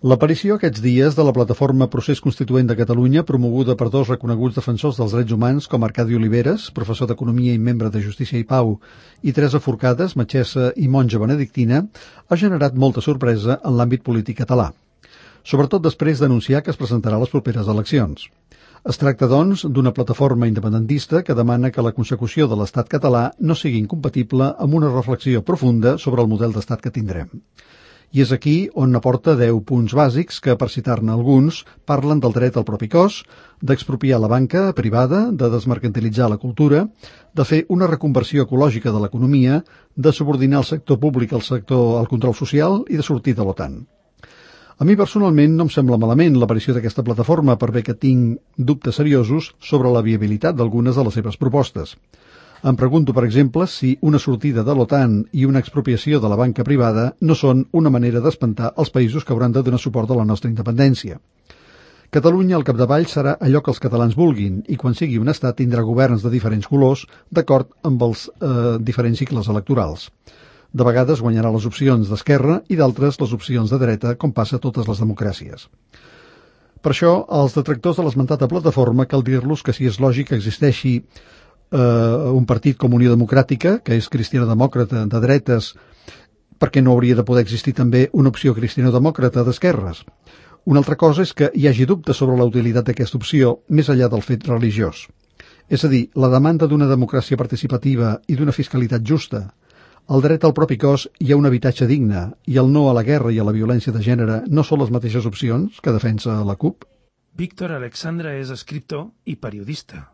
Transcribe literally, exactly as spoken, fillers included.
L'aparició aquests dies de la plataforma Procés Constituent de Catalunya, promoguda per dos reconeguts defensors dels drets humans com Arcadi Oliveres, professor d'Economia i membre de Justícia i Pau, i Teresa Forcades, metgessa i monja benedictina, ha generat molta sorpresa en l'àmbit polític català, sobretot després d'anunciar que es presentarà a les properes eleccions. Es tracta, doncs, d'una plataforma independentista que demana que la consecució de l'estat català no sigui incompatible amb una reflexió profunda sobre el model d'estat que tindrem. I és aquí on aporta deu punts bàsics que, per citar-ne alguns, parlen del dret al propi cos, d'expropiar la banca privada, de desmercantilitzar la cultura, de fer una reconversió ecològica de l'economia, de subordinar el sector públic al sector al control social i de sortir de l'OTAN. A mi personalment no em sembla malament l'aparició d'aquesta plataforma, per bé que tinc dubtes seriosos sobre la viabilitat d'algunes de les seves propostes. Em pregunto, per exemple, si una sortida de l'OTAN i una expropiació de la banca privada no són una manera d'espantar els països que hauran de donar suport a la nostra independència. Catalunya, al capdavall, serà allò que els catalans vulguin i quan sigui un estat tindrà governs de diferents colors d'acord amb els eh, diferents cicles electorals. De vegades guanyarà les opcions d'esquerra i d'altres les opcions de dreta, com passa a totes les democràcies. Per això, als detractors de l'esmentada plataforma cal dir-los que si és lògic que existeixi Uh, un partit com Unió Democràtica, que és cristiano-demòcrata de dretes, perquè no hauria de poder existir també una opció cristiano-demòcrata d'esquerres. Una altra cosa és que hi hagi dubtes sobre la utilitat d'aquesta opció, més enllà del fet religiós. És a dir, la demanda d'una democràcia participativa i d'una fiscalitat justa, el dret al propi cos i a un habitatge digne, i el no a la guerra i a la violència de gènere no són les mateixes opcions que defensa la CUP? Víctor Alexandre és escriptor i periodista.